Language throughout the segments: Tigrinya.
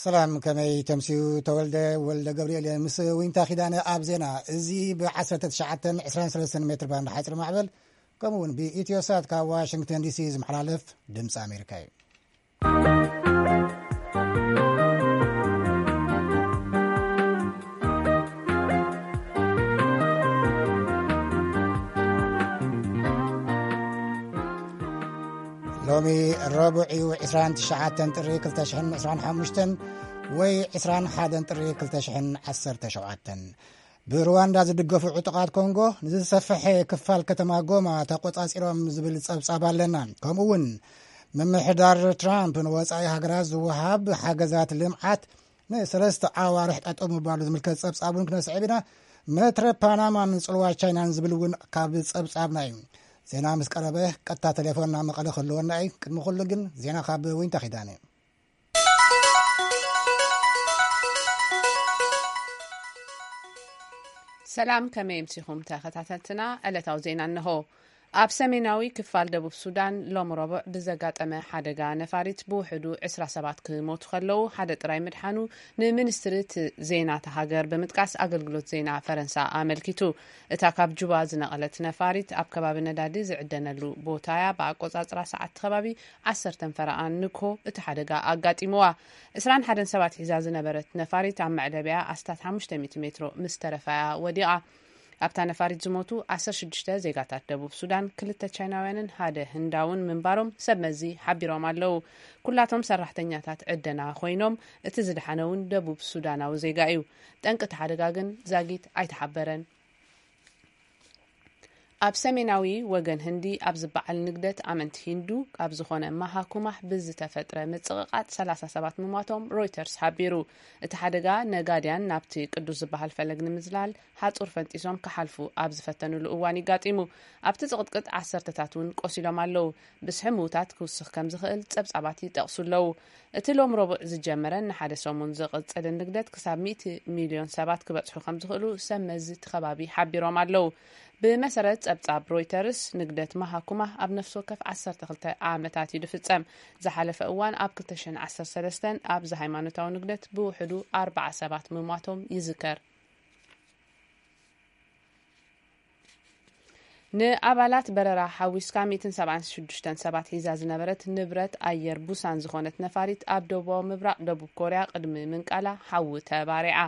ሰላም፣ ከመይ ተምስዩ? ተወልደ ወልደ ገብርኤል እየ ምስ ዊንታ ኪዳነ ኣብ ዜና። እዚ ብ19 23 ሜትር ባንድ ሓፂር ማዕበል፣ ከምኡ እውን ብኢትዮሳት ካብ ዋሽንግተን ዲሲ ዝመሓላለፍ ድምፂ ኣሜሪካ እዩ። ሎሚ ረቡዕ እዩ፣ 29 ጥሪ 2025 ወይ 21 ጥሪ 2017። ብሩዋንዳ ዝድገፉ ዕጡቓት ኮንጎ ንዝሰፍሐ ክፋል ከተማ ጎማ ተቆጻጺሮም ዝብል ጸብጻብ ኣለና። ከምኡ እውን ምምሕዳር ትራምፕ ንወጻኢ ሃገራት ዝወሃብ ሓገዛት ልምዓት ንሰለስተ ኣዋርሕ ጠጠው ምባሉ ዝምልከት ጸብጻብ እውን ክነስዕብ ኢና። መትረ ፓናማን ጽልዋ ቻይናን ዝብል እውን ካብ ጸብጻብና እዩ። ዜና ምስ ቀረበ ቀጥታ ቴሌፎን ናብ መቐለ ክህልወና እዩ። ቅድሚ ኩሉ ግን ዜና ካብ ዊንታ ኪዳነ። ሰላም፣ ከመይ ኣምሲኹም ተኸታተልትና? ዕለታዊ ዜና እንሆ። ኣብ ሰሜናዊ ክፋል ደቡብ ሱዳን ሎም ረቡዕ ብዘጋጠመ ሓደጋ ነፋሪት ብውሕዱ 20 ሰባት ክሞቱ ከለዉ፣ ሓደ ጥራይ ምድሓኑ ንሚኒስትሪ እቲ ዜና እታ ሃገር ብምጥቃስ ኣገልግሎት ዜና ፈረንሳ ኣመልኪቱ። እታ ካብ ጁባ ዝነቐለት ነፋሪት ኣብ ከባቢ ነዳዲ ዝዕደነሉ ቦታ እያ። ብኣቆጻጽራ ሰዓት ከባቢ 10 ፈረቓን ንግሆ እቲ ሓደጋ ኣጋጢምዋ። 21 ሰባት ሒዛ ዝነበረት ነፋሪት ኣብ መዕለቢያ ኣስታት 500 ሜትሮ ምስ ተረፋያ ወዲቓ። ኣብታ ነፋሪት ዝሞቱ 16 ዜጋታት ደቡብ ሱዳን፣ ክልተ ቻይናውያንን ሓደ ህንዳውን ምንባሮም ሰብ መዚ ሓቢሮም ኣለዉ። ኩላቶም ሰራሕተኛታት ዕደና ኮይኖም፣ እቲ ዝደሓነ እውን ደቡብ ሱዳናዊ ዜጋ እዩ። ጠንቂ እቲ ሓደጋ ግን ዛጊት ኣይተሓበረን። ኣብ ሰሜናዊ ወገን ህንዲ ኣብ ዝበዓል ንግደት ኣመንቲ ሂንዱ ኣብ ዝኾነ ማሃኩማህ ብዝተፈጥረ ምጽቕቓጥ 30 ሰባት ምሟቶም ሮይተርስ ሓቢሩ። እቲ ሓደጋ ነጋድያን ናብቲ ቅዱስ ዝበሃል ፈለግ ንምዝላል ሓጹር ፈንጢሶም ክሓልፉ ኣብ ዝፈተኑሉ እዋን ይጋጢሙ። ኣብቲ ጽቕጥቅጥ ዓሰርተታት እውን ቆሲሎም ኣለዉ። ብዝሒ ምዉታት ክውስኽ ከም ዝኽእል ጸብጻባት ይጠቕሱ ኣለዉ። እቲ ሎም ረቡዕ ዝጀመረን ንሓደ ሰሙን ዝቕጽልን ንግደት ክሳብ 100 ሚልዮን ሰባት ክበጽሑ ከም ዝኽእሉ ሰብ መዚ እቲ ከባቢ ሓቢሮም ኣለዉ። ብመሰረት ጸብጻብ ሮይተርስ፣ ንግደት ማሃኩማ ኣብ ነፍሲ ወከፍ 12 ዓመታት እዩ ዝፍጸም። ዝሓለፈ እዋን ኣብ 2013 ኣብዚ ሃይማኖታዊ ንግደት ብውሕዱ ኣርባዓ ሰባት ምሟቶም ይዝከር። ንኣባላት በረራ ሓዊስካ 176 ሰባት ሒዛ ዝነበረት ንብረት ኣየር ቡሳን ዝኾነት ነፋሪት ኣብ ደቡባዊ ምብራቕ ደቡብ ኮርያ ቅድሚ ምንቃላ ሓዊ ተባሪዓ።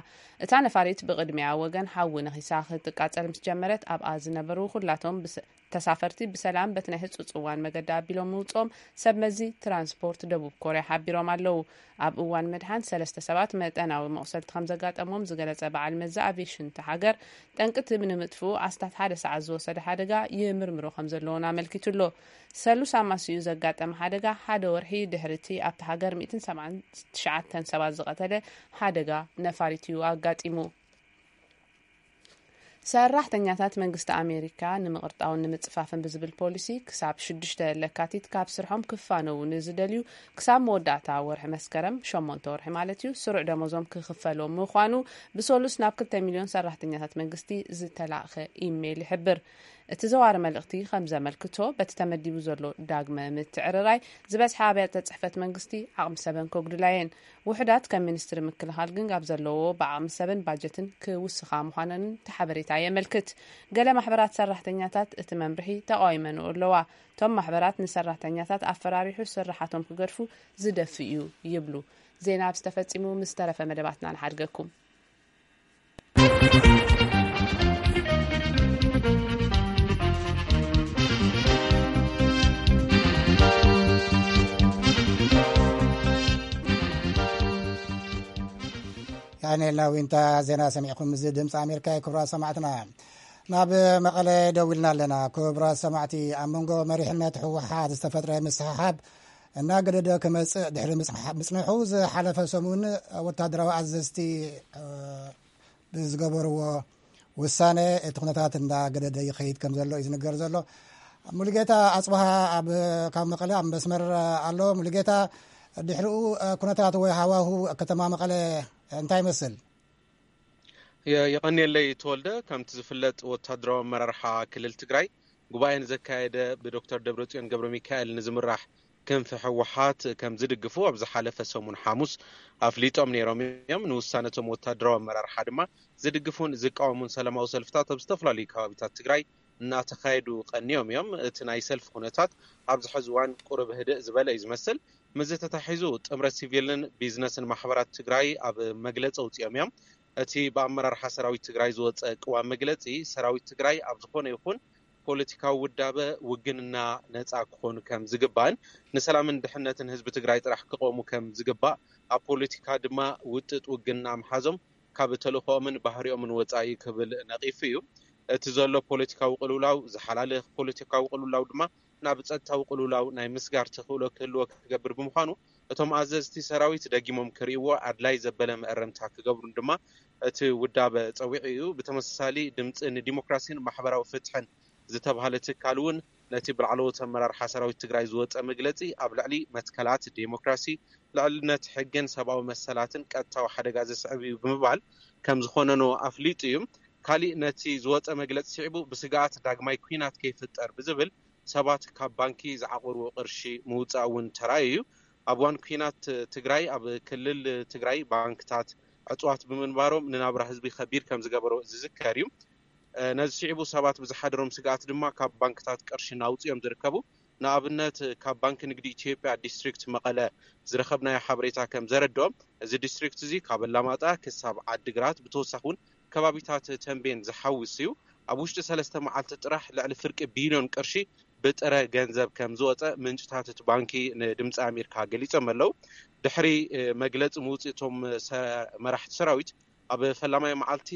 እታ ነፋሪት ብቕድሚያ ወገን ሓዊ ነኺሳ ክትቃጸል ምስ ጀመረት ኣብኣ ዝነበሩ ኩላቶም ብሰ-፣ ተሳፈርቲ ብሰላም በቲ ናይ ህጹጽ እዋን መገዲ ኣቢሎም ምውጽኦም ሰብ መዚ ትራንስፖርት ደቡብ ኮርያ ሓቢሮም ኣለዉ። ኣብ እዋን ምድሓን ሰለስተ ሰባት መጠናዊ መቑሰልቲ ከም ዘጋጠሞም ዝገለጸ በዓል መዚ ኣቪሽን እታ ሃገር፣ ጠንቅቲ ንምጥፍኡ ኣስታት ሓደ ሰዓት ዝወሰደ ሓደጋ ይምርምሮ ከም ዘለዎን ኣመልኪቱ ኣሎ። ሰሉስ ኣማስዩ ዘጋጠመ ሓደጋ ሓደ ወርሒ ድሕሪ እቲ ኣብታ ሃገር 179 ሰባት ዝቐተለ ሓደጋ ነፋሪት እዩ ኣጋጢሙ። ሰራሕተኛታት መንግስቲ ኣሜሪካ ንምቕርጣውን ንምጽፋፍን ብዝብል ፖሊሲ ክሳብ 6 ለካቲት ካብ ስርሖም ክፋነዉ ንዝደልዩ ክሳብ መወዳእታ ወርሒ መስከረም፣ ሸሞንተ ወርሒ ማለት እዩ፣ ስሩዕ ደሞዞም ክኽፈሎም ምዃኑ ብሰሉስ ናብ 2 ሚልዮን ሰራሕተኛታት መንግስቲ ዝተላእኸ ኢሜይል ይሕብር። እቲ ዘዋሪ መልእኽቲ ከም ዘመልክቶ፣ በቲ ተመዲቡ ዘሎ ዳግመ ምትዕርራይ ዝበዝሐ ኣብያተ ጽሕፈት መንግስቲ ዓቕሚ ሰበን ከጉድላ እየን። ውሑዳት ከም ሚኒስትሪ ምክልኻል ግን ኣብ ዘለዎ ብዓቕሚ ሰብን ባጀትን ክውስኻ ምዃነን እቲ ሓበሬታ የመልክት። ገለ ማሕበራት ሰራሕተኛታት እቲ መምርሒ ተቓዊመንኦ ኣለዋ። እቶም ማሕበራት ንሰራሕተኛታት ኣፈራሪሑ ስራሓቶም ክገድፉ ዝደፍእ እዩ ይብሉ። ዜና ኣብዚ ተፈጺሙ፣ ምስ ተረፈ መደባትና ንሓድገኩም። ዳንኤል ናዊንታ ዜና ሰሚዕኩም። እዚ ድምፂ ኣሜሪካ እዩ። ክቡራት ሰማዕትና፣ ናብ መቐለ ደው ኢልና ኣለና። ክቡራት ሰማዕቲ፣ ኣብ መንጎ መሪሕነት ህወሓት ዝተፈጥረ ምስሕሓብ እናገደደ ክመፅእ ድሕሪ ምፅንሓ-፣ ምፅንሑ፣ ዝሓለፈ ሰሙን ወታደራዊ ኣዘዝቲ፣ እ፣ ብዝገበርዎ ውሳነ እቲ ኩነታት እንዳገደደ ይኸይድ ከም ዘሎ እዩ ዝንገር ዘሎ። ሙሉጌታ ኣጽብሃ ኣብ፣ ካብ መቐለ ኣብ መስመር ኣሎ። ሙሉጌታ፣ ድሕሪኡ ኩነታት ወይ ሃዋሁ ከተማ መቐለ እንታይ ይመስል? የ-፣ የቐንየለይ ተወልደ። ከምቲ ዝፍለጥ፣ ወታደራዊ ኣመራርሓ ክልል ትግራይ ጉባኤ ንዘካየደ ብዶክተር ደብረጽዮን ገብረ ሚካኤል ንዝምራሕ ክንፊ ህወሓት ከም ዝድግፉ ኣብ ዝሓለፈ ሰሙን ሓሙስ ኣፍሊጦም ነይሮም እዮም። ንውሳነቶም ወታደራዊ ኣመራርሓ ድማ ዝድግፉን ዝቃወሙን ሰላማዊ ሰልፍታት ኣብ ዝተፈላለዩ ከባቢታት ትግራይ እናተኻየዱ ቀንዮም እዮም። እቲ ናይ ሰልፊ ኩነታት ኣብዚ ሕዚ እዋን ቁሩብ ህድእ ዝበለ እዩ ዝመስል። ምስዚ ተታሒዙ ጥምረት ሲቪልን ቢዝነስን ማሕበራት ትግራይ ኣብ መግለፂ ኣውፂኦም እዮም። እቲ ብኣመራርሓ ሰራዊት ትግራይ ዝወፀ ቅዋም መግለፂ ሰራዊት ትግራይ ኣብ ዝኾነ ይኹን ፖለቲካዊ ውዳበ ውግንና ነፃ ክኾኑ ከም ዝግባእን ንሰላምን ድሕነትን ህዝቢ ትግራይ ጥራሕ ክቆሙ ከም ዝግባእ ኣብ ፖለቲካ ድማ ውጥጥ ውግንና ምሓዞም ካብ ተልእኾኦምን ባህሪኦምን ወፃኢ ክብል ነቒፉ እዩ። እቲ ዘሎ ፖለቲካዊ ቅልውላው ዝሓላልኽ ፖለቲካዊ ቅልውላው ድማ ናብ ጸጥታዊ ቅልውላው ናይ ምስጋር ተኽእሎ ክህልዎ ክገብር ብምዃኑ እቶም ኣዘዝቲ ሰራዊት ደጊሞም ክርእይዎ ኣድላይ ዘበለ መእረምታ ክገብሩን ድማ እቲ ውዳበ ጸዊዑ እዩ። ብተመሳሳሊ ድምፂ ንዲሞክራሲን ማሕበራዊ ፍትሕን ዝተባህለ ትካል እውን ነቲ ብላዕለዎት ኣመራርሓ ሰራዊት ትግራይ ዝወፀ መግለፂ ኣብ ልዕሊ መትከላት ዴሞክራሲ፣ ልዕልነት ሕግን ሰብኣዊ መሰላትን ቀጥታዊ ሓደጋ ዘስዕብ እዩ ብምባል ከም ዝኾነኖ ኣፍሊጡ እዩ። ካሊእ ነቲ ዝወፀ መግለፂ ስዒቡ ብስግኣት ዳግማይ ኲናት ከይፍጠር ብዝብል ሰባት ካብ ባንኪ ዝዓቆርዎ ቅርሺ ምውፃእ እውን ተራእዩ እዩ። ኣብ እዋን ኲናት ትግራይ ኣብ ክልል ትግራይ ባንክታት ዕፅዋት ብምንባሮም ንናብራ ህዝቢ ከቢድ ከም ዝገበሮ ዝዝከር እዩ። ነዚ ስዒቡ ሰባት ብዝሓደሮም ስግኣት ድማ ካብ ባንክታት ቅርሺ እናውፅኡ እዮም ዝርከቡ። ንኣብነት ካብ ባንኪ ንግዲ ኢትዮጵያ ዲስትሪክት መቐለ ዝረኸብናዮ ሓበሬታ ከም ዘረድኦም እዚ ዲስትሪክት እዚ ካብ ኣላማጣ ክሳብ ዓዲግራት ብተወሳኺ እውን ከባቢታት ተንቤን ዝሓውስ እዩ። ኣብ ውሽጢ ሰለስተ መዓልቲ ጥራሕ ልዕሊ ፍርቂ ቢልዮን ቅርሺ ብጥረ ገንዘብ ከም ዝወፀ ምንጭታት እቲ ባንኪ ንድምፂ ኣሜሪካ ገሊፆም ኣለዉ። ድሕሪ መግለፂ ምውፅእ እቶም መራሕቲ ሰራዊት ኣብ ፈላማይ መዓልቲ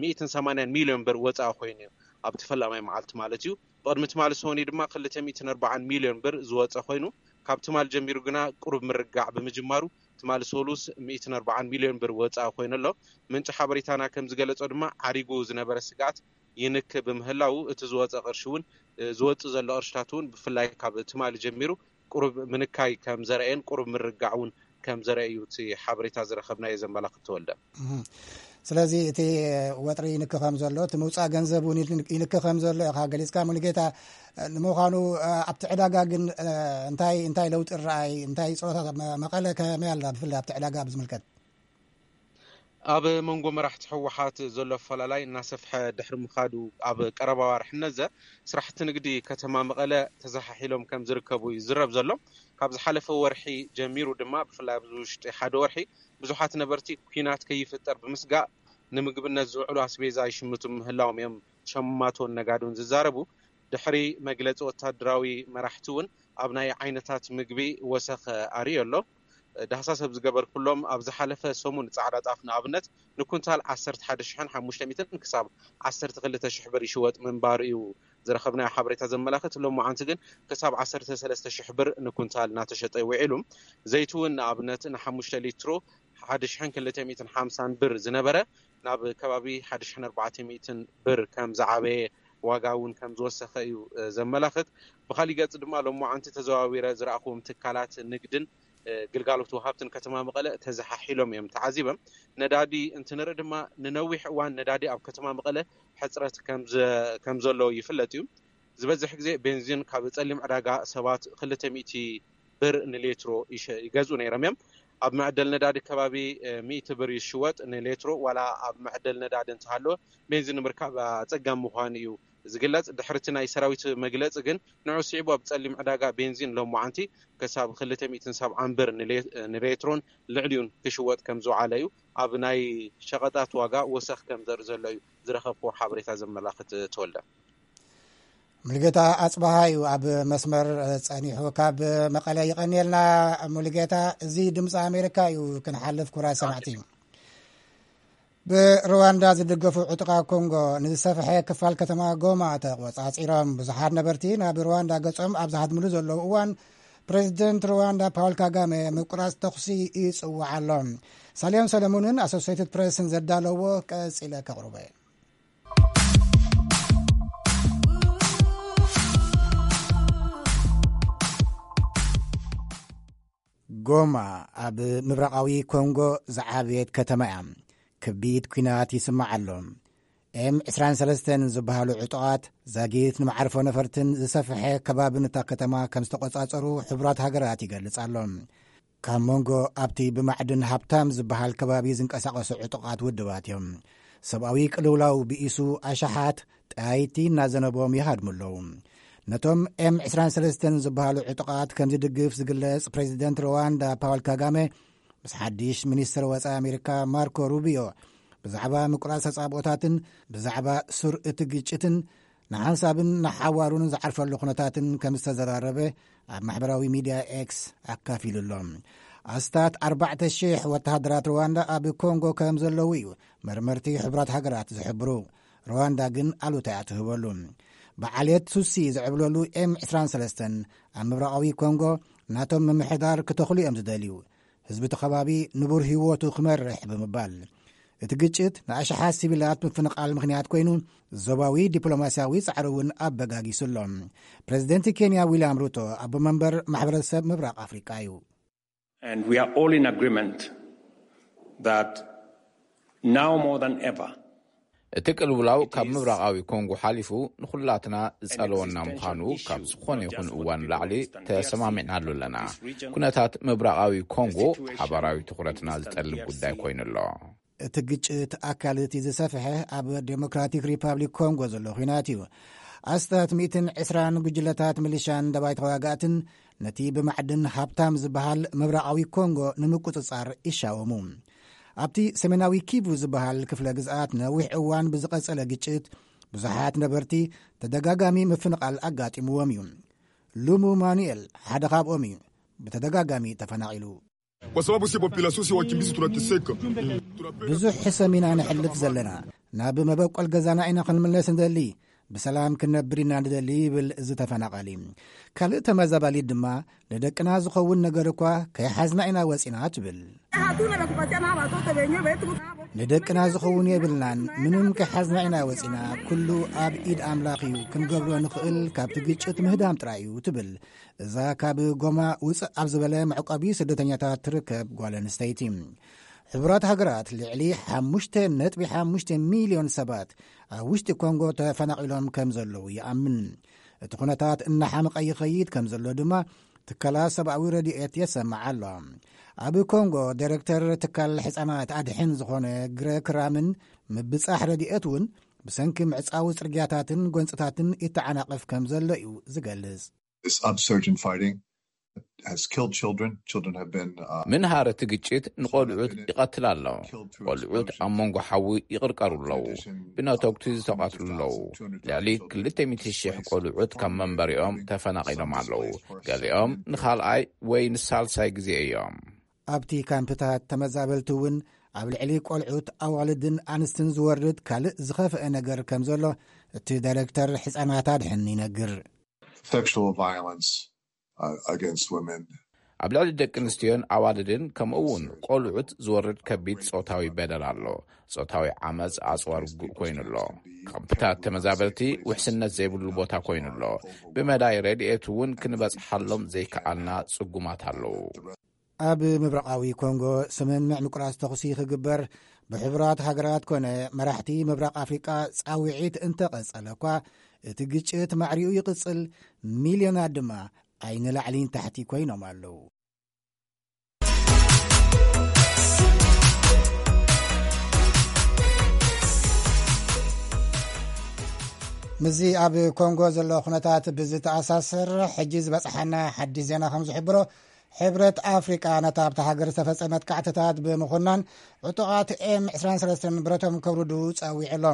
ሚእትን ሰማንያን ሚልዮን ብር ወፃኢ ኮይኑ እዩ። ኣብቲ ፈላማይ መዓልቲ ማለት እዩ። ብቕድሚ ትማሊ ሰሙን ድማ ክልተ ሚእትን ኣርባዓን ሚልዮን ብር ዝወፀ ኮይኑ ካብ ትማሊ ጀሚሩ ግና ቁሩብ ምርጋዕ ብምጅማሩ ትማሊ ሰሉስ ሚእትን ኣርባዓን ሚልዮን ብር ወፃኢ ኮይኑ ኣሎ። ምንጪ ሓበሬታና ከም ዝገለፆ ድማ ዓሪጉ ዝነበረ ስግኣት ይንክ ብምህላው እቲ ዝወፀ ቅርሺ እውን ዝወፅእ ዘሎ ቅርሽታት እውን ብፍላይ ካብ ትማሊ ጀሚሩ ቁሩብ ምንካይ ከም ዘርአየን ቁሩብ ምርጋዕ እውን ከም ዘርአ እዩ እቲ ሓበሬታ ዝረኸብናዮ ዘመላኽት ተወልደ። ስለዚ እቲ ወጥሪ ይንክ ከም ዘሎ እቲ ምውፃእ ገንዘብ እውን ይንክ ከም ዘሎ ኢኻ ገሊፅካ። ሙሉጌታ፣ ንምዃኑ ኣብቲ ዕዳጋ ግን እንታይ እንታይ ለውጢ ረኣይ እንታይ ፀወታ መቐለ ከመይ ኣላ ብፍላይ ኣብቲ ዕዳጋ ብዝምልከት? ኣብ መንጎ መራሕቲ ህወሓት ዘሎ ኣፈላላይ እናሰፍሐ ድሕሪ ምኻዱ ኣብ ቀረባ ዋርሒ ነዘ ስራሕቲ ንግዲ ከተማ መቐለ ተዘሓሒሎም ከም ዝርከቡ እዩ ዝረብ ዘሎ። ካብ ዝሓለፈ ወርሒ ጀሚሩ ድማ ብፍላይ ኣብዚ ውሽጢ ሓደ ወርሒ ብዙሓት ነበርቲ ኲናት ከይፍጠር ብምስጋእ ንምግብነት ዝውዕሉ ኣስቤዛ ይሽምቱ ምህላዎም እዮም ሸማቶን ነጋዶን ዝዛረቡ። ድሕሪ መግለፂ ወታደራዊ መራሕቲ እውን ኣብ ናይ ዓይነታት ምግቢ ወሰኽ ኣርእዩ ኣሎ። ዳህሳስ ኣብ ዝገበርኩሎም ኣብ ዝሓለፈ ሰሙን ፃዕዳ ጣፍ ንኣብነት ንኩንታል ዓሰርተ ሓደ ሽሕን ሓሙሽተ ሚእትን ክሳብ ዓሰርተ ክልተ ሽሕ ብር ይሽወጥ ምንባሩ እዩ ዝረኸብናዮ ሓበሬታ ዘመላኽት። ሎማዓንቲ ግን ክሳብ ዓሰርተ ሰለስተ ሽሕ ብር ንኩንታል እናተሸጠ ውዒሉ። ዘይቲ እውን ንኣብነት ንሓሙሽተ ሊትሮ ሓደ ሽሕን ክልተ ሚእትን ሓምሳን ብር ዝነበረ ናብ ከባቢ ሓደ ሽሕን ኣርባዕተ ሚእትን ብር ከም ዝዓበየ ዋጋ እውን ከም ዝወሰኸ እዩ ዘመላኽት። ብኻሊእ ገፅ ድማ ሎማዓንቲ ተዘዋዊረ ዝረኣኹዎም ትካላት ንግድን ግልጋሎት ወሃብትን ከተማ መቐለ ተዘሓሒሎም እዮም ተዓዚበም። ነዳዲ እንትንርኢ ድማ ንነዊሕ እዋን ነዳዲ ኣብ ከተማ መቐለ ሕፅረት ከም ዘሎ ይፍለጥ እዩ። ዝበዝሕ ግዜ ቤንዚን ካብ ፀሊም ዕዳጋ ሰባት ክልተ ሚእቲ ብር ንሌትሮ ይገዝኡ ነይሮም እዮም። ኣብ መዕደል ነዳዲ ከባቢ ሚእቲ ብር ይሽወጥ ንሌትሮ። ዋላ ኣብ መዕደል ነዳዲ እንተሃለወ ቤንዚን ንምርካብ ኣፀጋሚ ምዃኑ እዩ ዝግለፅ። ድሕርቲ ናይ ሰራዊት መግለፂ ግን ንዑ ስዒቡ ኣብ ፀሊም ዕዳጋ ቤንዚን ሎማዓንቲ ክሳብ ክልተ ሚእትን ሰብዓን ብር ንሌትሮን ልዕሊኡን ክሽወጥ ከም ዝውዓለ እዩ ኣብ ናይ ሸቐጣት ዋጋ ወሰኽ ከም ዘርኢ ዘሎ እዩ ዝረኸብክዎ ሓበሬታ ዘመላኽት። ተወልደ። ሙሉጌታ ኣፅበሃ እዩ ኣብ መስመር ፀኒሑ ካብ መቐለ። ይቐንየልና ሙሉጌታ። እዚ ድምፂ ኣሜሪካ እዩ። ክንሓልፍ ክቡራት ሰማዕቲ፣ ብሩዋንዳ ዝድገፉ ዕጡቓት ኮንጎ ንዝሰፍሐ ክፋል ከተማ ጎማ ተቖፃፂሮም። ብዙሓት ነበርቲ ናብ ሩዋንዳ ገፆም ኣብ ዝሃድምሉ ዘለዉ እዋን ፕሬዚደንት ሩዋንዳ ፓውል ካጋሜ ምቁራፅ ተኹሲ ይፅውዕ ኣሎ። ሳልዮን ሰለሙንን ኣሶሴይትድ ፕሬስን ዘዳለዎ ቀፂለ ከቕርቦ እየ። ጎማ ኣብ ምብራቓዊ ኮንጎ ዝዓበየት ከተማ እያ። ከቢድ ኲናት ይስማዕ ኣሎ። ኤም ዕስራን ሰለስተን ዝበሃሉ ዕጡቓት ዛጊት ንመዓርፎ ነፈርትን ዝሰፍሐ ከባቢ እታ ከተማ ከም ዝተቖጻጸሩ ሕቡራት ሃገራት ይገልጽ ኣሎ። ካብ መንጎ ኣብቲ ብማዕድን ሃብታም ዝበሃል ከባቢ ዝንቀሳቐሱ ዕጡቓት ውድባት እዮም። ሰብኣዊ ቅልውላው ብኢሱ ኣሽሓት ጠያይቲ እናዘነቦም ይሃድሙ ኣለዉ። ነቶም ኤም ዕስራን ሰለስተን ዝበሃሉ ዕጡቓት ከም ዝድግፍ ዝግለጽ ፕሬዚደንት ሩዋንዳ ፓውል ካጋሜ ምስ ሓድሽ ሚኒስትር ወጻኢ ኣሜሪካ ማርኮ ሩቢዮ ብዛዕባ ምቁራጽ ተጻብኦታትን ብዛዕባ ሱር እቲ ግጭትን ንሓንሳብን ንሓዋሩን ዝዓርፈሉ ኩነታትን ከም ዝተዘራረበ ኣብ ማሕበራዊ ሚድያ ኤክስ ኣካፊሉ ኣሎ። ኣስታት ኣርባዕተ ሽሕ ወተሃደራት ሩዋንዳ ኣብ ኮንጎ ከም ዘለዉ እዩ መርመርቲ ሕቡራት ሃገራት ዝሕብሩ። ሩዋንዳ ግን ኣሉታ እያ ትህበሉ። ብዓልየት ቱትሲ ዝዕብለሉ ኤም ዕስራን ሰለስተን ኣብ ምብራቓዊ ኮንጎ ናቶም ምምሕዳር ክተኽሉ እዮም ዝደልዩ። ህዝቢ እቲ ከባቢ ንቡር ህይወቱ ክመርሕ ብምባል፣ እቲ ግጭት ንኣሽሓት ሲቪላት ምፍንቓል ምኽንያት ኮይኑ፣ ዞባዊ ዲፕሎማስያዊ ጻዕሪ እውን ኣበጋጊሱ ኣሎ። ፕሬዚደንት ኬንያ ዊልያም ሩቶ ኣቦ መንበር ማሕበረሰብ ምብራቕ ኣፍሪቃ እዩ። And we are all in agreement that now more than ever, እቲ ቅልውላው ካብ ምብራቓዊ ኮንጎ ሓሊፉ ንኹላትና ዝጸለወና ምዃኑ ካብ ዝኾነ ይኹን እዋን ላዕሊ ተሰማሚዕናሉ ኣለና። ኩነታት ምብራቓዊ ኮንጎ ሓባራዊ ትኹረትና ዝጠልብ ጉዳይ ኮይኑ ኣሎ። እቲ ግጭት ኣካል እቲ ዝሰፍሐ ኣብ ዴሞክራቲክ ሪፓብሊክ ኮንጎ ዘሎ ኲናት እዩ። ኣስታት ሚእትን ዕስራን ጉጅለታት ሚሊሻን ደባይ ተዋጋእትን ነቲ ብማዕድን ሃብታም ዝበሃል ምብራቓዊ ኮንጎ ንምቁጽጻር ይሻወሙ። ኣብቲ ሰሜናዊ ኪቡ ዝበሃል ክፍለ ግዝኣት ነዊሕ እዋን ብዝቐጸለ ግጭት ብዙሓት ነበርቲ ተደጋጋሚ ምፍንቓል ኣጋጢምዎም እዩ። ሉሙ ማኑኤል ሓደ ካብኦም እዩ። ብተደጋጋሚ ተፈናቒሉ። Kwa sababu si population si wakimbizi tunateseka. ብዙሕ ሕሰም ኢና ንሕልፍ ዘለና። ናብ መበቆል ገዛና ኢና ክንምለስ ንደሊ። ብሰላም ክንነብር ኢና ንደሊ ይብል እዚ ተፈናቓሊ። ካልእ ተመዛባሊት ድማ ንደቅና ዝኸውን ነገር እኳ ከይሓዝና ኢና ወፂና ትብል። ንደቅና ዝኸውን የብልናን፣ ምንም ከይሓዝና ኢና ወፂና። ኩሉ ኣብ ኢድ ኣምላኽ እዩ፣ ክንገብሮ ንኽእል ካብቲ ግጭት ምህዳም ጥራይ እዩ ትብል እዛ ካብ ጎማ ውፅእ ኣብ ዝበለ መዕቆቢ ስደተኛታት ትርከብ ጓል ኣንስተይቲ። ሕቡራት ሃገራት ልዕሊ ሓሙሽተ ነጥቢ ሓሙሽተ ሚልዮን ሰባት ኣብ ውሽጢ ኮንጎ ተፈናቒሎም ከም ዘለዉ ይኣምን። እቲ ኩነታት እናሓመቐ ይኸይድ ከም ዘሎ ድማ ትካላት ሰብኣዊ ረድኤት የሰምዓ ኣሎ። ኣብ ኮንጎ ዳይረክተር ትካል ሕፃናት ኣድሕን ዝኾነ ግረክ ራምን ምብጻሕ ረድኤት እውን ብሰንኪ ምዕጻዊ ጽርግያታትን ጎንጽታትን ይተዓናቐፍ ከም ዘሎ እዩ ዝገልጽ። This upsurge in fighting has killed children. Children have been uh, ምንሃር እቲ ግጭት ንቆልዑት ይቐትል ኣሎ። ቆልዑት ኣብ መንጎ ሓዊ ይቕርቀሩ ኣለዉ። ብነተጉቲ ዝተቐትሉ ኣለዉ። ልዕሊ ክልተ ሚእቲ ሽሕ ቆልዑት ካብ መንበሪኦም ተፈናቒሎም ኣለዉ። ገሊኦም ንኻልኣይ ወይ ንሳልሳይ ግዜ እዮም። ኣብቲ ካምፕታት ተመዛበልቲ እውን ኣብ ልዕሊ ቆልዑት ኣዋልድን ኣንስትን ዝወርድ ካልእ ዝኸፍአ ነገር ከም ዘሎ እቲ ዳይረክተር ሕፃናት ኣድሕን ይነግር። Sexual violence uh, against women. ኣብ ልዕሊ ደቂ ኣንስትዮን ኣዋልድን ከምኡ እውን ቆልዑት ዝወርድ ከቢድ ጾታዊ በደል ኣሎ። ጾታዊ ዓመፅ ኣፅዋር ውግእ ኮይኑ ኣሎ። ካምፕታት ተመዛበልቲ ውሕስነት ዘይብሉ ቦታ ኮይኑ ኣሎ። ብመዳይ ረድኤት እውን ክንበፅሓሎም ዘይከኣልና ጽጉማት ኣለዉ። ኣብ ምብራቓዊ ኮንጎ ስምምዕ ምቁራጽ ተኹሲ ክግበር ብሕቡራት ሃገራት ኮነ መራሕቲ ምብራቕ ኣፍሪቃ ጻውዒት እንተቐጸለ እኳ፣ እቲ ግጭት ማዕሪኡ ይቕጽል፣ ሚልዮናት ድማ ኣይንላዕሊን ታሕቲ ኮይኖም ኣለዉ። ምስዚ ኣብ ኮንጎ ዘሎ ኩነታት ብዝተኣሳሰር፣ ሕጂ ዝበጽሓና ሓድሽ ዜና ከም ዝሕብሮ፣ ሕብረት ኣፍሪቃ ነታ ኣብታ ሃገር ዝተፈጸመ መጥቃዕትታት ብምኹናን፣ ዕጡቓት ኤም ዕስራን ሰለስተን ብረቶም ከውርዱ ጸዊዑ ኣሎ።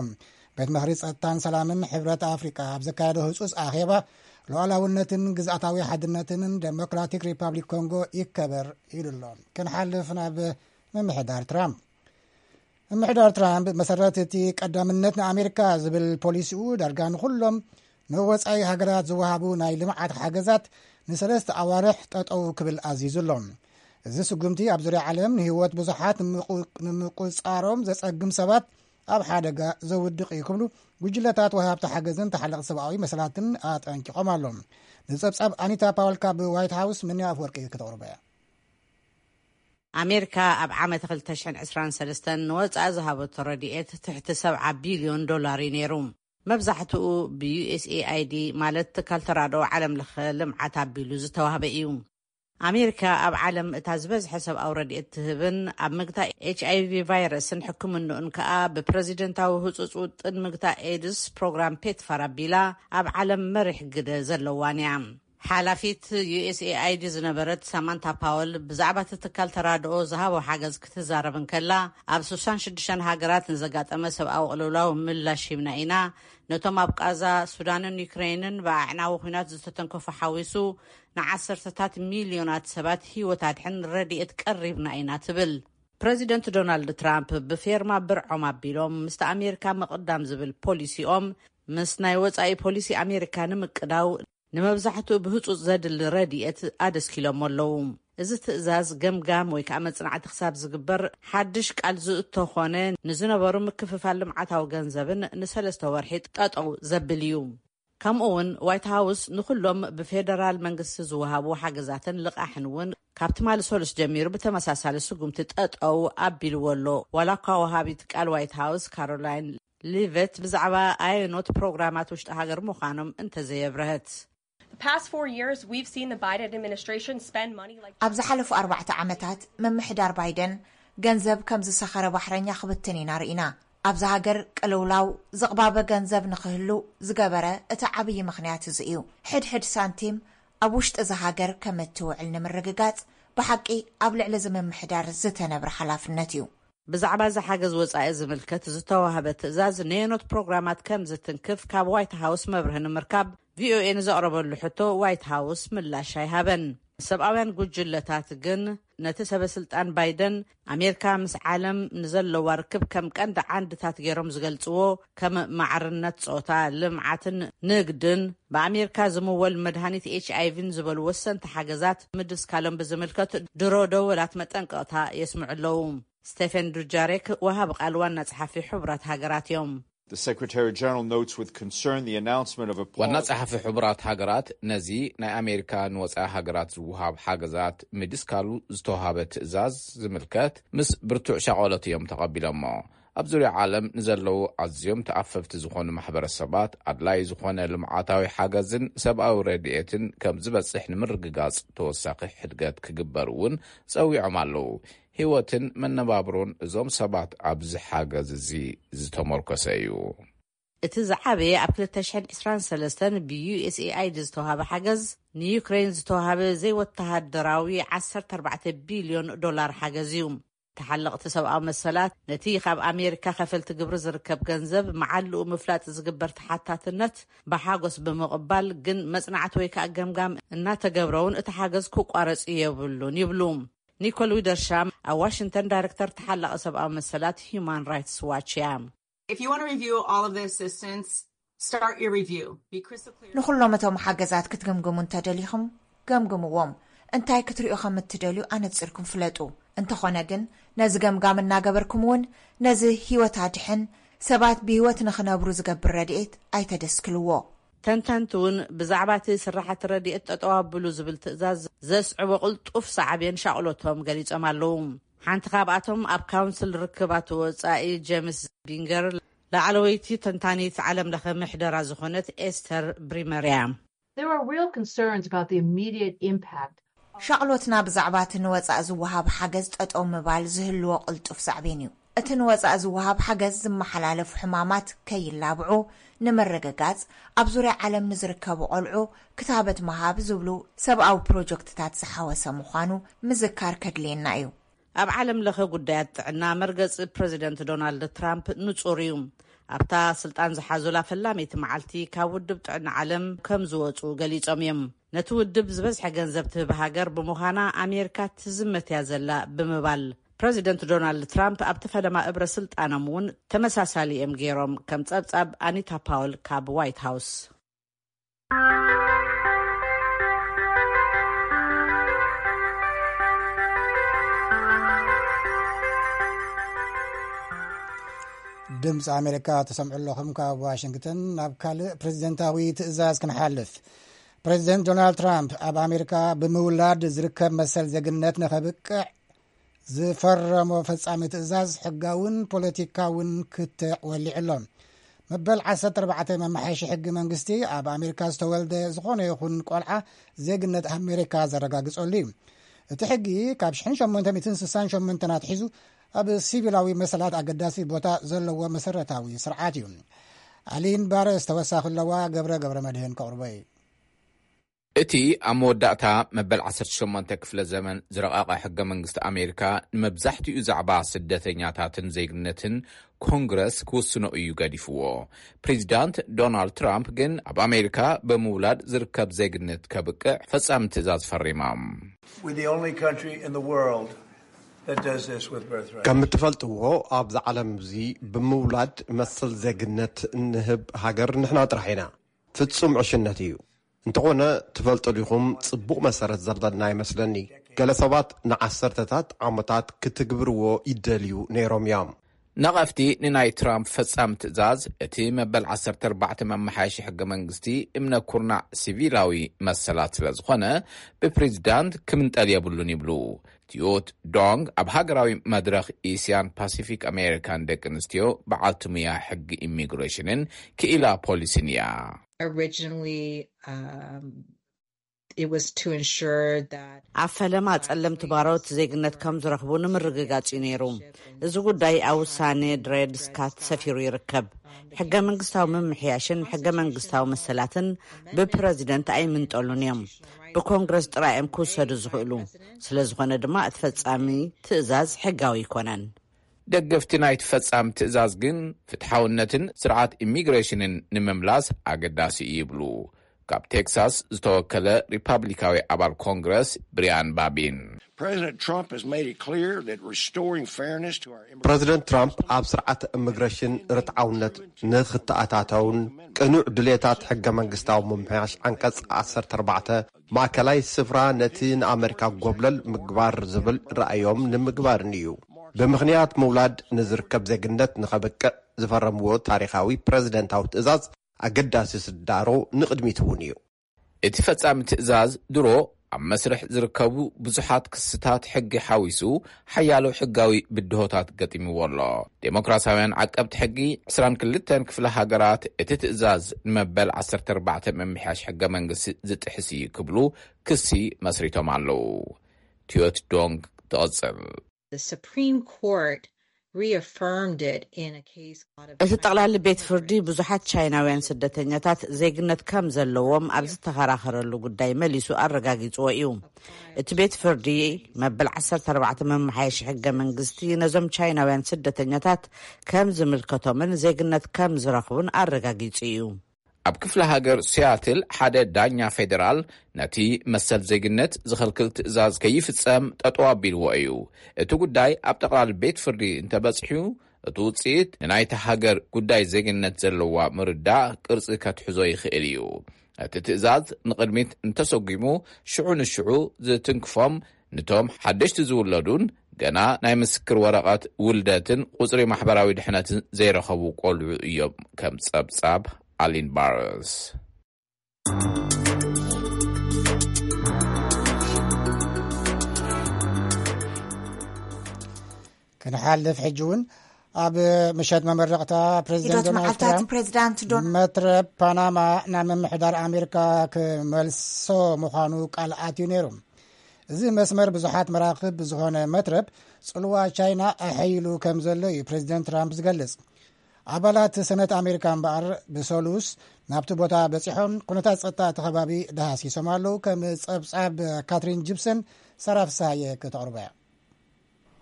ቤት ምኽሪ ጸጥታን ሰላምን ሕብረት ኣፍሪቃ ኣብ ዘካየዶ ህጹጽ ኣኼባ፣ ሉዓላውነትን ግዝኣታዊ ሓድነትን ደሞክራቲክ ሪፓብሊክ ኮንጎ ይከበር ኢሉ ኣሎ። ክንሓልፍ ናብ ምምሕዳር ትራምፕ። ምምሕዳር ትራምፕ መሰረት እቲ ቀዳምነት ንኣሜሪካ ዝብል ፖሊሲኡ ዳርጋ ንኹሎም ንወጻኢ ሃገራት ዝወሃቡ ናይ ልምዓት ሓገዛት ንሰለስተ ኣዋርሕ ጠጠው ክብል ኣዚዙ ኣሎ። እዚ ስጉምቲ ኣብ ዙርያ ዓለም ንህይወት ብዙሓት ንምቁ- ንምቁጻሮም ዘጸግም ሰባት ኣብ ሓደጋ ዘውድቕ እዩ ክብሉ ጉጅለታት ወሃብቲ ሓገዝን ተሓለቕቲ ሰብኣዊ መሰላትን ኣጠንቂቖም ኣለዉ። ንጸብጻብ ኣኒታ ፓወል ካብ ዋይት ሃውስ ምንያ ኣፍወርቂ ከተቕርቦ እያ። ኣሜሪካ ኣብ ዓመት ክልተ ሽሕን ዕስራን ሰለስተን ንወጻኢ ዝሃበቶ ረድኤት ትሕቲ ሰብዓ ቢልዮን ዶላር እዩ ነይሩ። መብዛሕትኡ ብ ዩ ኤስ ኤ ኣይ ዲ ማለት ትካል ተራድኦ ዓለም ለኸ ልምዓት ኣቢሉ ዝተዋህበ እዩ። ኣሜሪካ ኣብ ዓለም እታ ዝበዝሐ ሰብኣዊ ረድኤት ትህብን ኣብ ምግታእ ኤች ኣይ ቪ ቫይረስን ሕክምንኡን ከኣ ብፕረዚደንታዊ ህጹጽ ውጥን ምግታእ ኤድስ ፕሮግራም ፔትፋር ኣቢላ ኣብ ዓለም መሪሕ ግደ ዘለዋን እያ። ሓላፊት ዩ ኤስ ኤ ኣይ ዲ ዝነበረት ሳማንታ ፓወል ብዛዕባ እቲ ትካል ተራድኦ ዝሃቦ ሓገዝ ክትዛረብ እንከላ፣ ኣብ ስሳን ሽዱሽተን ሃገራት ንዘጋጠመ ሰብኣዊ ቅልውላው ምላሽ ሂብና ኢና። ነቶም ኣብ ቃዛ፣ ሱዳንን ዩክሬንን ብኣዕናዊ ኲናት ዝተተንከፉ ሓዊሱ ንዓሰርተታት ሚልዮናት ሰባት ህይወት ኣድሕን ረድኤት ቀሪብና ኢና ትብል። ፕረዚደንት ዶናልድ ትራምፕ ብፌርማ ብርዖም ኣቢሎም ምስቲ ኣሜሪካ ምቕዳም ዝብል ፖሊሲኦም ምስ ናይ ወጻኢ ፖሊሲ ኣሜሪካ ንምቅዳው ንመብዛሕትኡ ብህጹጽ ዘድሊ ረድኤት ኣደስኪሎሞ ኣለዉ። እዚ ትእዛዝ ገምጋም ወይ ከዓ መጽናዕቲ ክሳብ ዝግበር ሓድሽ ቃል ዝእቶ ኾነ ንዝነበሩ ምክፍፋል ልምዓታዊ ገንዘብን ንሰለስተ ወርሒ ጠጠው ዘብል እዩ። ከምኡ እውን ዋይት ሃውስ ንኹሎም ብፌደራል መንግስቲ ዝወሃቡ ሓገዛትን ልቓሕን እውን ካብ ትማሊ ሰሉስ ጀሚሩ ብተመሳሳሊ ስጉምቲ ጠጠው ኣቢልዎ ኣሎ። ዋላ እኳ ወሃቢት ቃል ዋይት ሃውስ ካሮላይን ሊቨት ብዛዕባ ኣየኖት ፕሮግራማት ውሽጢ ሃገር ምዃኖም እንተዘየብረህት። The past four years, we've seen the Biden administration spend money like ኣብ ዝሓለፉ ኣርባዕተ ዓመታት ምምሕዳር ባይደን ገንዘብ ከም ዝሰኸረ ባሕረኛ ክብትን ኢና ርኢና። ኣብዚ ሃገር ቅልውላው ዝቕባበ ገንዘብ ንኽህሉ ዝገበረ እቲ ዓብዪ ምኽንያት እዚ እዩ። ሕድሕድ ሳንቲም ኣብ ውሽጢ እዚ ሃገር ከም እትውዕል ንምርግጋጽ ብሓቂ ኣብ ልዕሊ እዚ ምምሕዳር ዝተነብረ ሓላፍነት እዩ። ብዛዕባ እዚ ሓገዝ ወጻኢ ዝምልከት ዝተዋህበ ትእዛዝ ነየኖት ፕሮግራማት ከም ዝትንክፍ ካብ ዋይት ሃውስ መብርሂ ንምርካብ ቪኦኤ ንዘቕረበሉ ሕቶ ዋይት ሃውስ ምላሽ ኣይሃበን። ሰብኣውያን ጉጅለታት ግን ነቲ ሰበ ስልጣን ባይደን ኣሜሪካ ምስ ዓለም ንዘለዋ ርክብ ከም ቀንዲ ዓንድታት ገይሮም ዝገልጽዎ ከም ማዕርነት ጾታ፣ ልምዓትን ንግድን፣ ብኣሜሪካ ዝምወል መድሃኒት ኤች ኣይ ቪን ዝበሉ ወሰንቲ ሓገዛት ምድስካሎም ብዝምልከት ድሮ ደወላት መጠንቀቕታ የስምዑ ኣለዉ። ስቴፈን ዱጃሬክ ወሃቢ ቃል ዋና ጸሓፊ ሕቡራት ሃገራት እዮም። The Secretary General notes with concern the announcement of a ዋና pause. ጸሓፊ ሕቡራት ሃገራት ነዚ ናይ ኣሜሪካ ንወጻኢ ሃገራት ዝውሃብ ሓገዛት ምድስካሉ ዝተዋሃበ ትእዛዝ ዝምልከት ምስ ብርቱዕ ሻቐሎት እዮም ተቐቢሎሞ። ኣብ ዙርያ ዓለም ንዘለዉ ኣዝዮም ተኣፈፍቲ ዝኾኑ ማሕበረሰባት ኣድላይ ዝኾነ ልምዓታዊ ሓገዝን ሰብኣዊ ረድኤትን ከም ዝበጽሕ ንምርግጋጽ ተወሳኺ ሕድገት ክግበር እውን ጸዊዖም ኣለዉ። ህይወትን መነባብሮን እዞም ሰባት ኣብዚ ሓገዝ እዚ ዝተመርኮሰ እዩ። እቲ ዝዓበየ ኣብ ክልተ ሽሕን ዕስራን ሰለስተን ብ ዩ ኤስ ኤ ኣይ ዲ ዝተዋሃበ ሓገዝ ንዩክሬን ዝተዋሃበ ዘይወተሃደራዊ ዓሰርተ ኣርባዕተ ቢልዮን ዶላር ሓገዝ እዩ። ተሓለቕቲ ሰብኣዊ መሰላት ነቲ ካብ ኣሜሪካ ከፈልቲ ግብሪ ዝርከብ ገንዘብ መዓልኡ ምፍላጥ ዝግበር ተሓታትነት ብሓጎስ ብምቕባል፣ ግን መጽናዕቲ ወይ ከዓ ገምጋም እናተገብረውን እቲ ሓገዝ ክቋረጽ የብሉን ይብሉ። ኒኮል ዊደርሻም ኣብ ዋሽንግተን ዳይሬክተር ተሓላቒ ሰብኣዊ መሰላት ሂዩማን ራይትስ ዋች እያ። If you want to review all of the assistance, start your review. Be crystal clear. ንኹሎም እቶም ሓገዛት ክትግምግሙ እንተደሊኹም ገምግምዎም። እንታይ ክትሪኡ ከም እትደልዩ ኣነጺርኩም ፍለጡ። እንተኾነ ግን ነዚ ገምጋም እናገበርኩም እውን ነዚ ህይወት ኣድሕን ሰባት ብህይወት ንኽነብሩ ዝገብር ረድኤት ኣይተደስክልዎ። ተንተንቲ እውን ብዛዕባ እቲ ስራሕቲ ረድኤት ጠጠው ኣብሉ ዝብል ትእዛዝ ዘስዕቦ ቅልጡፍ ሳዕቤን ሻቕሎቶም ገሊጾም ኣለዉ። ሓንቲ ካብኣቶም ኣብ ካውንስል ርክባት ወጻኢ ጀምስ ቢንገር፣ ላዕለወይቲ ተንታኒት ዓለም ለኸ ምሕደራ ዝኾነት ኤስተር ብሪመር እያ። There are real concerns about the immediate impact. ሻቕሎትና ብዛዕባ እቲ ንወጻኢ ዝወሃብ ሓገዝ ጠጠው ምባል ዝህልዎ ቅልጡፍ ሳዕቤን እዩ። እቲ ንወጻኢ ዝወሃብ ሓገዝ ዝመሓላለፉ ሕማማት ከይላብዑ ንምርግጋጽ፣ ኣብ ዙርያ ዓለም ንዝርከቡ ቆልዑ ክታበት ምሃብ ዝብሉ ሰብኣዊ ፕሮጀክትታት ዝሓወሰ ምዃኑ ምዝካር ከድልየና እዩ። ኣብ ዓለም ለኸ ጉዳያት ጥዕና መርገጺ ፕረዚደንት ዶናልድ ትራምፕ ንጹር እዩ። ኣብታ ስልጣን ዝሓዙላ ፈላመይቲ መዓልቲ ካብ ውድብ ጥዕና ዓለም ከም ዝወጹ ገሊጾም እዮም። ነቲ ውድብ ዝበዝሐ ገንዘብ ትህብ ሃገር ብምዃና ኣሜሪካ ትዝመት እያ ዘላ ብምባል ፕረዚደንት ዶናልድ ትራምፕ ኣብቲ ፈለማ እብረ ስልጣኖም እውን ተመሳሳሊ እዮም ገይሮም፣ ከም ጸብጻብ ኣኒታ ፓውል ካብ ዋይት ሃውስ። ድምፂ ኣሜሪካ ተሰምዑ ኣለኹም። ካብ ዋሽንግተን ናብ ካልእ ፕሬዚደንታዊ ትእዛዝ ክንሓልፍ። ፕሬዚደንት ዶናልድ ትራምፕ ኣብ ኣሜሪካ ብምውላድ ዝርከብ መሰል ዜግነት ንኸብቅዕ ዝፈረሞ ፈጻሚ ትእዛዝ ሕጋውን ፖለቲካውን ክትዕ ወሊዑ ኣሎ። መበል ዓሰርተ ኣርባዕተ መመሓየሺ ሕጊ መንግስቲ ኣብ ኣሜሪካ ዝተወልደ ዝኾነ ይኹን ቆልዓ ዜግነት ኣሜሪካ ዘረጋግጸሉ እዩ። እቲ ሕጊ ካብ ሽሕን ሸሞንተ ሚእትን ስሳን ሸሞንተን ኣትሒዙ ኣብ ሲቪላዊ መሰላት ኣገዳሲ ቦታ ዘለዎ መሰረታዊ ስርዓት እዩ። ኣሊን ባረስ ተወሳኺ ኣለዋ፣ ገብረ ገብረ መድህን ከቕርቦ እዩ። እቲ ኣብ መወዳእታ መበል ዓሰርተ ሸሞንተ ክፍለ ዘመን ዝረቐቐ ሕገ መንግስቲ ኣሜሪካ ንመብዛሕትኡ ዛዕባ ስደተኛታትን ዜግነትን ኮንግረስ ክውስኖ እዩ ገዲፍዎ። ፕሬዚዳንት ዶናልድ ትራምፕ ግን ኣብ ኣሜሪካ ብምውላድ ዝርከብ ዜግነት ከብቅዕ ፈጻሚ ትእዛዝ ፈሪሞም። We're the only country in the world that does this with birthright. ከም እትፈልጥዎ ኣብዚ ዓለም እዚ ብምውላድ መሰል ዜግነት እንህብ ሃገር ንሕና ጥራሕ ኢና። ፍጹም ዕሽነት እዩ። እንተኾነ ትፈልጡ ዲኹም፣ ጽቡቕ መሰረት ዘለና ይመስለኒ። ገለ ሰባት ንዓሰርተታት ዓመታት ክትግብርዎ ይደልዩ ነይሮም እዮም። ነቐፍቲ ንናይ ትራምፕ ፈጻሚ ትእዛዝ፣ እቲ መበል ዓሰርተ ኣርባዕተ መመሓየሺ ሕገ መንግስቲ እምነ ኩርናዕ ሲቪላዊ መሰላት ስለ ዝኾነ ብፕሬዚዳንት ክምንጠል የብሉን ይብሉ። ቲዮት ዶንግ ኣብ ሃገራዊ መድረኽ ኤስያን ፓሲፊክ ኣሜሪካን ደቂ ኣንስትዮ በዓልቲ ሙያ ሕጊ ኢሚግሬሽንን ክኢላ ፖሊሲን እያ። Originally, um, it was to ensure that ኣብ ፈለማ ጸለምቲ ባሮት ዜግነት ከም ዝረኽቡ ንምርግጋጽ እዩ ነይሩ። እዚ ጉዳይ ኣብ ውሳኔ ድሬድ ስካት ሰፊሩ ይርከብ። ሕገ መንግስታዊ ምምሕያሽን ሕገ መንግስታዊ መሰላትን ብፕረዚደንት ኣይምንጠሉን እዮም። ብኮንግረስ ጥራይ እዮም ክውሰዱ ዝኽእሉ። ስለ ዝኾነ ድማ እቲ ፈጻሚ ትእዛዝ ሕጋዊ ኣይኮነን። ደገፍቲ ናይቲ ፈጻሚ ትእዛዝ ግን ፍትሓውነትን ስርዓት ኢሚግሬሽንን ንምምላስ ኣገዳሲ እዩ ይብሉ። ካብ ቴክሳስ ዝተወከለ ሪፓብሊካዊ ኣባል ኮንግረስ ብሪያን ባቢን። President Trump has made it clear that restoring fairness to our immigration ፕረዚደንት ትራምፕ ኣብ ስርዓት ኢሚግሬሽን ርትዓውነት ንክተኣታተውን ቅኑዕ ድሌታት ሕገ መንግስታዊ ምምሕያሽ ዓንቀጽ ዓሰርተ ኣርባዕተ ማእከላይ ስፍራ ነቲ ንኣመሪካ ጎብለል ምግባር ዝብል ራእዮም ንምግባርን እዩ። ብምኽንያት ምውላድ ንዝርከብ ዜግነት ንኸብቅዕ ዝፈረምዎ ታሪኻዊ ፕረዚደንታዊ ትእዛዝ ኣገዳሲ ስዳሮ ንቕድሚት እውን እዩ። እቲ ፈጻሚ ትእዛዝ ድሮ ኣብ መስርሕ ዝርከቡ ብዙሓት ክስታት ሕጊ ሓዊሱ ሓያሎ ሕጋዊ ብድሆታት ገጢምዎ ኣሎ። ዴሞክራሲያውያን ዓቀብቲ ሕጊ ዕስራን ክልተን ክፍለ ሃገራት እቲ ትእዛዝ ንመበል ዓሰርተ ኣርባዕተ ምምሕያሽ ሕገ መንግስቲ ዝጥሕስ እዩ ክብሉ ክሲ መስሪቶም ኣለዉ። ቲዮት ዶንግ ትቕጽል። The Supreme Court reaffirmed it in a case out of እቲ ጠቕላሊ ቤት ፍርዲ ብዙሓት ቻይናውያን ስደተኛታት ዜግነት ከም ዘለዎም ኣብ ዝተኸራኸረሉ ጉዳይ መሊሱ ኣረጋጊጽዎ እዩ። እቲ ቤት ፍርዲ መበል ዓሰርተ ኣርባዕተ መመሓየሺ ሕገ መንግስቲ ነዞም ቻይናውያን ስደተኛታት ከም ዝምልከቶምን ዜግነት ከም ዝረኽቡን ኣረጋጊጹ እዩ። ኣብ ክፍለ ሃገር ሲያትል ሓደ ዳኛ ፌዴራል ነቲ መሰል ዜግነት ዝኸልክል ትእዛዝ ከይፍጸም ጠጠው ኣቢልዎ እዩ። እቲ ጉዳይ ኣብ ጠቕላሊ ቤት ፍርዲ እንተበጽሑ፣ እቲ ውጽኢት ንናይቲ ሃገር ጉዳይ ዜግነት ዘለዋ ምርዳእ ቅርጺ ከትሕዞ ይኽእል እዩ። እቲ ትእዛዝ ንቕድሚት እንተሰጒሙ፣ ሽዑ ንሽዑ ዝትንክፎም ንቶም ሓደሽቲ ዝውለዱን ገና ናይ ምስክር ወረቐት ውልደትን ቁጽሪ ማሕበራዊ ድሕነትን ዘይረኸቡ ቆልዑ እዮም፣ ከም ጸብጻብ ኣሊን ባርስ። ክንሓልፍ ሕጂ እውን ኣብ ምሸት መመረቕታ ፕሬዚደንት ሒደት ዶናልድ መዓልታት ትራምፕ ፕሬዚዳንት ዶን መትረብ ፓናማ ናብ ምምሕዳር ኣሜሪካ ክመልሶ ምዃኑ ቃል ኣትዩ ነይሩ። እዚ መስመር ብዙሓት መራኽብ ብዝኾነ መትረብ ጽልዋ ቻይና ኣሐይሉ ከም ዘሎ እዩ ፕሬዚደንት ትራምፕ ዝገልጽ። ኣባላት ሰነት ኣሜሪካ እምበኣር ብሰሉስ ናብቲ ቦታ በጺሖም ኩነታት ጸጥታ እቲ ከባቢ ደሃሲሶም ኣለዉ። ከም ጸብጻብ ካትሪን ጂፕሰን ሰራፍሳየ ከተቕርቦ እያ።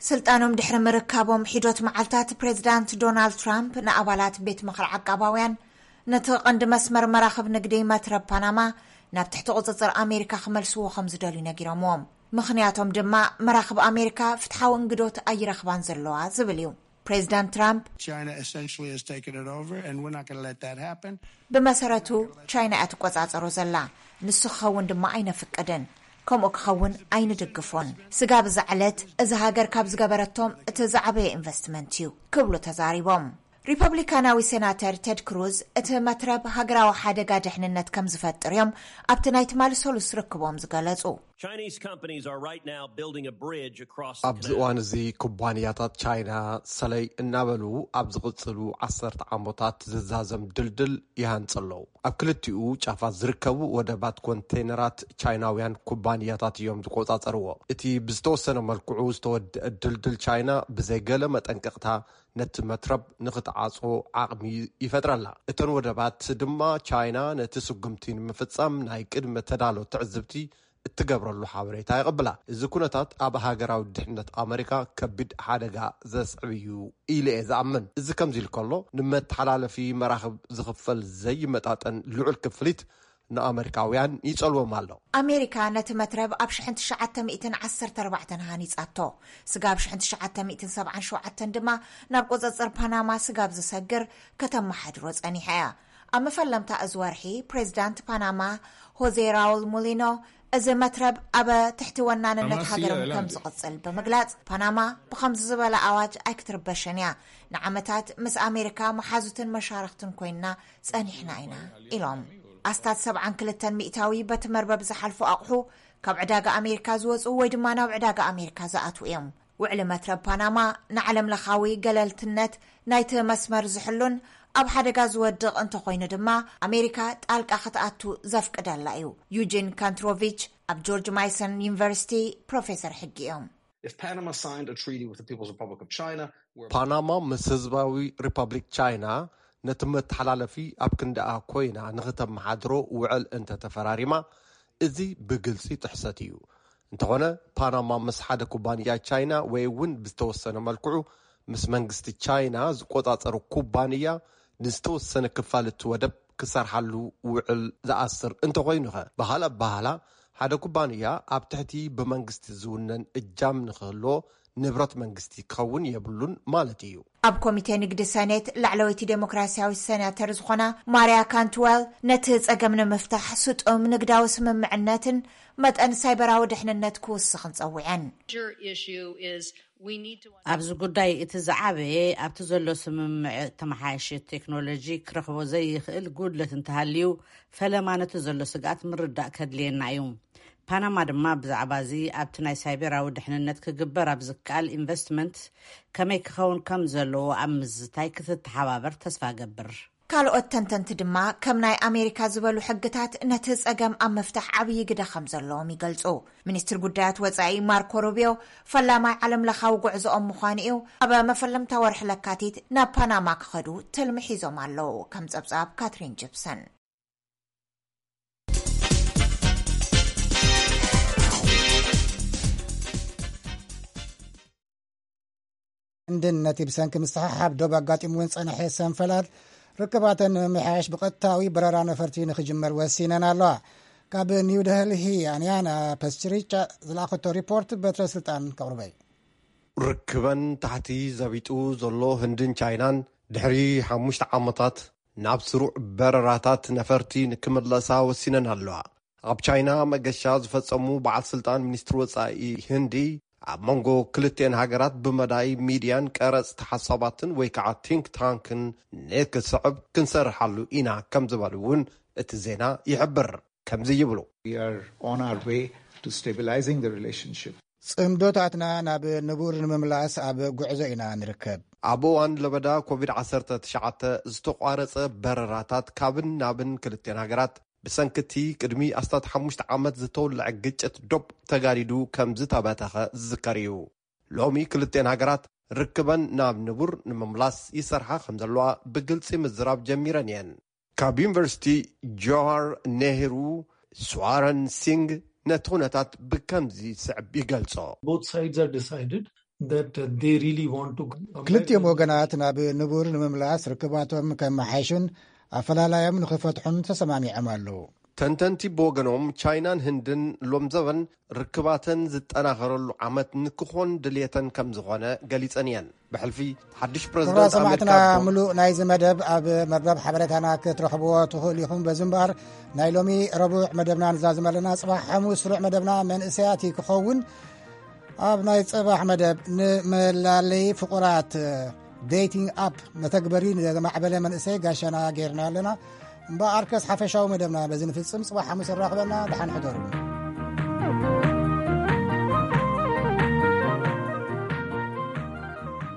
ስልጣኖም ድሕሪ ምርካቦም ሒዶት መዓልታት ፕሬዚዳንት ዶናልድ ትራምፕ ንኣባላት ቤት ምኽሪ ዓቃባውያን ነቲ ቀንዲ መስመር መራኽብ ንግዲ መትረብ ፓናማ ናብ ትሕቲ ቁጽጽር ኣሜሪካ ክመልስዎ ከም ዝደልዩ ነጊሮምዎም። ምኽንያቶም ድማ መራኽብ ኣሜሪካ ፍትሓዊ እንግዶት ኣይረኽባን ዘለዋ ዝብል እዩ። ፕሬዚዳንት ትራምፕ China essentially has taken it over, and we're not going to let that happen. ብመሰረቱ ቻይና እያ ትቆጻጸሮ ዘላ፣ ንሱ ክኸውን ድማ ኣይነፍቅድን፣ ከምኡ ክኸውን ኣይንድግፎን። ስጋብ እዛ ዕለት እዚ ሃገር ካብ ዝገበረቶም እቲ ዝዓበየ ኢንቨስትመንት እዩ ክብሉ ተዛሪቦም። ሪፐብሊካናዊ ሴናተር ቴድ ክሩዝ እቲ መትረብ ሃገራዊ ሓደጋ ድሕንነት ከም ዝፈጥር እዮም ኣብቲ ናይ ትማሊ ሰሉስ ርክቦም ዝገለጹ። Chinese companies are right now building a bridge across the ኣብዚ canal. እዋን እዚ ኩባንያታት ቻይና ሰለይ እናበሉ ኣብ ዝቕፅሉ ዓሰርተ ዓመታት ዝዛዘም ድልድል ይሃንፁ ኣለዉ። ኣብ ክልቲኡ ጫፋት ዝርከቡ ወደባት ኮንቴይነራት ቻይናውያን ኩባንያታት እዮም ዝቆፃፀርዎ። እቲ ብዝተወሰነ መልክዑ ዝተወደአ ድልድል ቻይና ብዘይገለ መጠንቀቕታ ነቲ መትረብ ንኽትዓፅዎ ዓቕሚ ይፈጥረላ። እተን ወደባት ድማ ቻይና ነቲ ስጉምቲ ንምፍፃም ናይ ቅድመ ተዳሎ ትዕዝብቲ እትገብረሉ ሓበሬታ ይቕብላ። እዚ ኩነታት ኣብ ሃገራዊ ድሕነት ኣመሪካ ከቢድ ሓደጋ ዘስዕብ እዩ ኢሉ እየ ዝኣምን። እዚ ከምዚ ኢሉ ከሎ፣ ንመተሓላለፊ መራኽብ ዝኽፈል ዘይመጣጠን ልዑል ክፍሊት ንኣመሪካውያን ይጸልዎም ኣሎ። ኣሜሪካ ነቲ መትረብ ኣብ ሸሕን ትሽዓተ ሚእትን ዓሰርተ ኣርባዕተን ሃኒጻቶ። ስጋብ ሸሕን ትሽዓተ ሚእትን ሰብዓን ሸውዓተን ድማ ናብ ቁጽጽር ፓናማ ስጋብ ዝሰግር ከተመሓድሮ ጸኒሓ እያ። ኣብ መፈለምታ እዚ ወርሒ፣ ፕሬዚዳንት ፓናማ ሆዜ ራውል ሙሊኖ፣ እዚ መትረብ ኣብ ትሕቲ ወናንነት ሃገሮም ከም ዝቕጽል ብምግላጽ፣ ፓናማ ብኸምዚ ዝበለ ኣዋጅ ኣይክትርበሽን እያ። ንዓመታት ምስ ኣሜሪካ መሓዙትን መሻርኽትን ኮይንና ጸኒሕና ኢና ኢሎም። ኣስታት ሰብዓን ክልተን ሚእታዊ በቲ መርበብ ዝሓልፉ ኣቑሑ ካብ ዕዳጋ ኣሜሪካ ዝወጹ ወይ ድማ ናብ ዕዳጋ ኣሜሪካ ዝኣትዉ እዮም። ውዕሊ መትረብ ፓናማ ንዓለም ለኻዊ ገለልትነት ናይቲ መስመር ዝሕሉን ኣብ ሓደጋ ዝወድቕ እንተኾይኑ ድማ ኣሜሪካ ጣልቃ ክትኣቱ ዘፍቅደላ እዩ። ዩጂን ካንትሮቪች ኣብ ጆርጅ ማይሰን ዩኒቨርሲቲ ፕሮፌሰር ሕጊ እዮም። If Panama signed a treaty with the People's Republic of China, where ፓናማ ምስ ህዝባዊ ሪፐብሊክ ቻይና ነቲ መተሓላለፊ ኣብ ክንዳኣ ኮይና ንኽተመሓድሮ ውዕል እንተተፈራሪማ፣ እዚ ብግልጺ ጥሕሰት እዩ። እንተኾነ፣ ፓናማ ምስ ሓደ ኩባንያ ቻይና ወይ እውን ብዝተወሰነ መልክዑ ምስ መንግስቲ ቻይና ዝቆጻጸሩ ኩባንያ ንዝተወሰነ ክፋል እቲ ወደብ ክሰርሓሉ ውዕል ዝኣስር እንተኾይኑኸ? በሃል ኣበሃላ፣ ሓደ ኩባንያ ኣብ ትሕቲ ብመንግስቲ ዝውነን እጃም ንኽህልዎ ንብረት መንግስቲ ክኸውን የብሉን ማለት እዩ። ኣብ ኮሚቴ ንግዲ ሰኔት ላዕለወይቲ ዴሞክራሲያዊት ሴናተር ዝኾና ማርያ ካንትወል፣ ነቲ ጸገም ንምፍታሕ ስጡም ንግዳዊ ስምምዕነትን መጠን ሳይበራዊ ድሕንነት ክውስኽን ጸዊዐን። Major issue is we need to ኣብዚ ጉዳይ እቲ ዝዓበየ ኣብቲ ዘሎ ስምምዕ ተመሓየሸ ቴክኖሎጂ ክረኽቦ ዘይኽእል ጉድለት እንተሃልዩ፣ ፈለማ ነቲ ዘሎ ስግኣት ምርዳእ ከድልየና እዩ። ፓናማ ድማ ብዛዕባ እዚ ኣብቲ ናይ ሳይበራዊ ድሕንነት ክግበር ኣብ ዝከኣል ኢንቨስትመንት ከመይ ክኸውን ከም ዘለዎ ኣብ ምዝታይ ክትተሓባበር ተስፋ እገብር። ካልኦት ተንተንቲ ድማ ከም ናይ ኣሜሪካ ዝበሉ ሕግታት ነቲ ጸገም ኣብ ምፍታሕ ዓብዪ ግደ ከም ዘለዎም ይገልጹ። ሚኒስትር ጉዳያት ወጻኢ ማርኮ ሩቢዮ፣ ፈላማይ ዓለም ለኻዊ ጉዕዞኦም ምዃኑ እዩ፣ ኣብ መፈለምታ ወርሒ ለካቲት ናብ ፓናማ ክኸዱ ትልሚ ሒዞም ኣለዉ። ከም ጸብጻብ ካትሪን ጂፕሰን። ህንድን ነቲ ብሰንኪ ምስሕሓብ ዶብ ኣጋጢምወን ዝጸንሐ ሰንፈላል ርክባተን ንምምሕያሽ ብቐጥታዊ በረራ ነፈርቲ ንኽጅመር ወሲነን ኣለዋ። ካብ ኒው ደልሂ ኣንያና ፐስችሪቻ ዝለኣኸቶ ሪፖርት በትረ ስልጣን ከቕርበይ። ርክበን ታሕቲ ዘቢጡ ዘሎ ህንድን ቻይናን ድሕሪ ሓሙሽተ ዓመታት ናብ ስሩዕ በረራታት ነፈርቲ ንክምለሳ ወሲነን ኣለዋ። ኣብ ቻይና መገሻ ዝፈጸሙ በዓል ስልጣን ሚኒስትሪ ወጻኢ ህንዲ፣ ኣብ መንጎ ክልቲኤን ሃገራት ብመዳይ ሚድያን ቀረጽ ተሓሳባትን ወይ ከዓ ቲንክ ታንክን ንክስዕብ ክንሰርሓሉ ኢና ከም ዝበሉ እውን እቲ ዜና ይሕብር። ከምዚ ይብሉ። We are on our way to stabilizing the relationship. ጽምዶታትና ናብ ንቡር ንምምላስ ኣብ ጉዕዞ ኢና ንርከብ። ኣብ እዋን ለበዳ ኮቪድ ዓሰርተ ትሽዓተ ዝተቋረጸ በረራታት ካብን ናብን ክልቲኤን ሃገራት ብሰንኪ እቲ ቅድሚ ኣስታት ሓሙሽተ ዓመት ዝተወልዐ ግጭት ዶብ ተጋዲዱ ከም ዝተበተኸ ዝዝከር እዩ። ሎሚ ክልቲኤን ሃገራት ርክበን ናብ ንቡር ንምምላስ ይሰርሓ ከም ዘለዋ ብግልጺ ምዝራብ ጀሚረን እየን። ካብ ዩኒቨርሲቲ ጆሃር ኔህሩ ስዋረን ሲንግ ነቲ ኩነታት ብከምዚ ስዕብ ይገልጾ። Both sides are decided that uh, they really want to come back ክልቲኦም and ወገናት ናብ ንቡር ንምምላስ ርክባቶም ከመሓይሹን ኣፈላላዮም ንኽፈትሑን ተሰማሚዖም ኣለዉ። ተንተንቲ ብወገኖም ቻይናን ህንድን ሎምዘበን ርክባተን ዝጠናኸረሉ ዓመት ንክኾን ድልየተን ከም ዝኾነ ገሊጸን እየን። ብሕልፊ ሓድሽ ክቡራት ፕረዚደንት ሰማዕትና ኣሜሪካ ዶ- ምሉእ ናይዚ መደብ ኣብ መርበብ ሓበሬታና ክትረኽብዎ ትኽእሉ ኢኹም። በዚ እምበኣር ናይ ሎሚ ረቡዕ መደብና ንዛዝም ኣለና። ጽባሕ ሓሙስ ስሩዕ መደብና መንእሰያት እዩ ክኸውን። ኣብ ናይ ጽባሕ መደብ ንመላለይ ፍቑራት ዴቲንግ ኣፕ መተግበሪ ንዘማዕበለ መንእሰይ ጋሻና ጌርና ኣለና። እምበኣርከስ ሓፈሻዊ መደብና በዚ ንፍጽም። ጽባሕ ሓሙስ ኣራኽበና። ደሓን ሕደሩ።